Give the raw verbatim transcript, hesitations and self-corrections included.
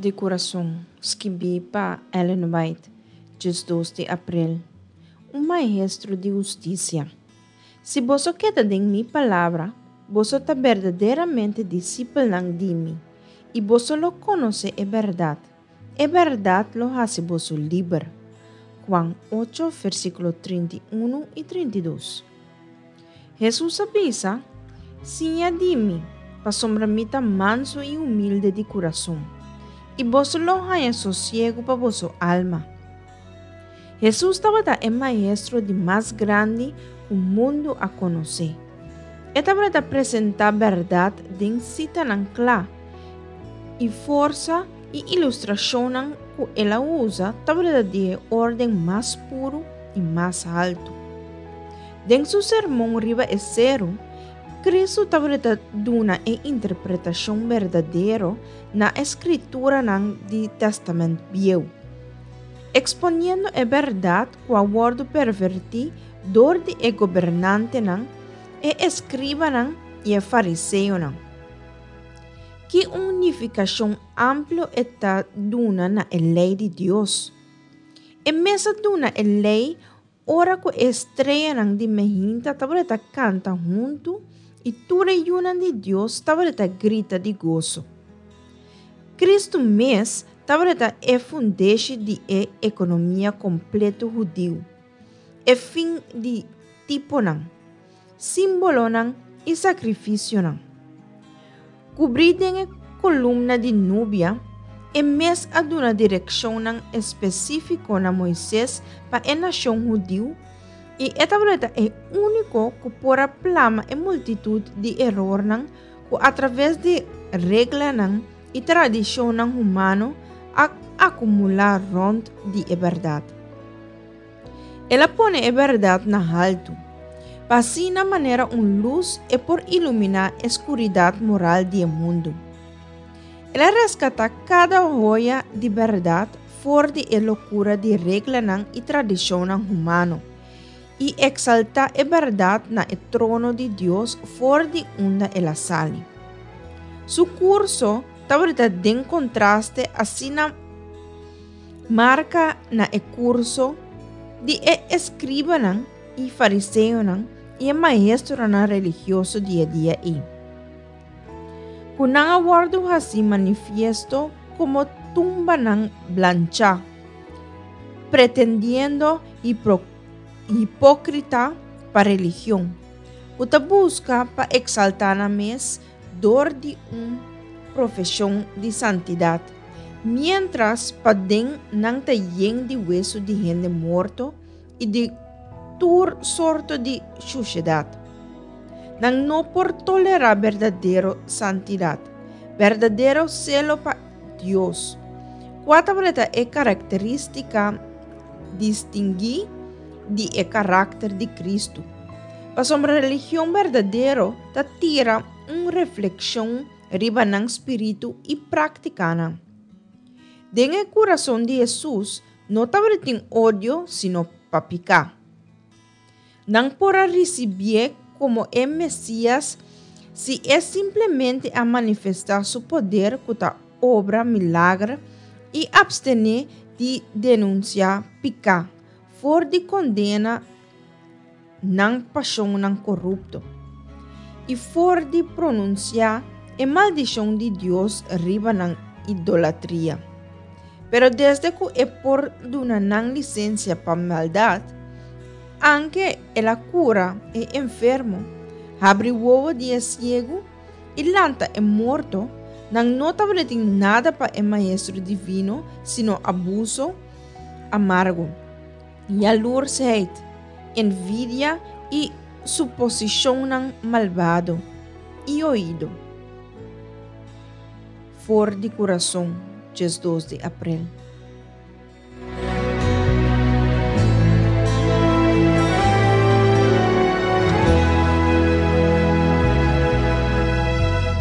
di Kurason, skibí pa Ellen White, diesdos di aprel. Un Maestro di Hustisia. Si boso keda den mi palabra, boso ta berdaderamente disipelnan di mi, i boso lo konosé e bèrdat. E bèrdat lo hasi boso liber. Juan ocho, versíkulo trinta i un i trinta i dos. Hesus a bisa, Siña di mi, pasobra mi ta mansu i humilde di kurason, i boso lo haña sosiegu pa boso alma. Hesus tabata e maestro di mas grandi ku mundu a konosé. E tabata presentá bèrdat den sitanan kla, i forsa i ilustrashonnan ku el a usa tabata di e órden mas puru i mas haltu. Den su Sermon riba e Seru, Kristu tabata duna e interpretashon berdadero na e Skrituranan di Tèstamènt Bieu, eksponiendo e bèrdat ku a wòrdu pervertí dor di e gobernantenan, e eskribanan i e fariseonan. Ki un nifikashon amplio e ta duna na e lei di Dios! E mes a duna e lei ora ku e streanan di mehinta tabata kanta huntu i tur e yunan di Dios tabata grita di goso. Kristu mes tabata e fundeshi di e ekonomia kompleto hudiu, e fin di tiponan, símbolonan i sakrifisionan. Kubrí den e kolumna di nubia, e mes a duna direkshonnan espesífiko na Moises pa e nashon hudiu, i e tabata e úniko ku por a plama e multitut di erornan ku atraves di reglanan i tradishonnan humano a akumulá rònt di e bèrdat. El a pone e bèrdat na haltu, pa asina manera un lus e por iluminá e skuridat moral di e mundu. El a reskatá kada hoya di bèrdat for di e lokura di reglanan i tradishonnan humano, i eksaltá e bèrdat na e trono di Dios for di unda el a sali. Su kurso tabata den kontraste asina marka na e kurso di e eskribanan i fariseonan i e maestronan religioso di e dia ei, ku nan a wòrdu hasi manifiesto komo tumbanan blanchá, pretendiendo hipókrita pa religion, ku ta buska pa eksaltá nan mes dor di un profeshon di santidat, miéntras paden nan ta yen di wesu di hende morto i di tur sorto di shushedat. Nan no por tolerá berdadero santidat, berdadero selo pa Dios, kua tabata e karakterístika distinguí di e karakter di Kristu. Pasobra religion berdadero ta tira un reflekshon riba nan spiritu i práktikanan. Den e kurason di Hesus no tabatin odio sino pa piká. Nan por a risibié komo e Mesias si e simplemente a manifestá su poder ku ta obra milager i apstené di denunsiá piká for di kondena nan pashonnan korupto i for di pronunsiá e maldishon di Dios riba nan idolatria. Pero desde ku e por duna nan lisensia pa maldat, anke el a kura e enfermo, habri wowo di e siegu i lanta e morto, nan no tabatin nada pa e Maestro Divino sino abuso amargo, yalursheid, envidia i suposishonnan malbado i oido. For di Kurason, diesdos di aprel.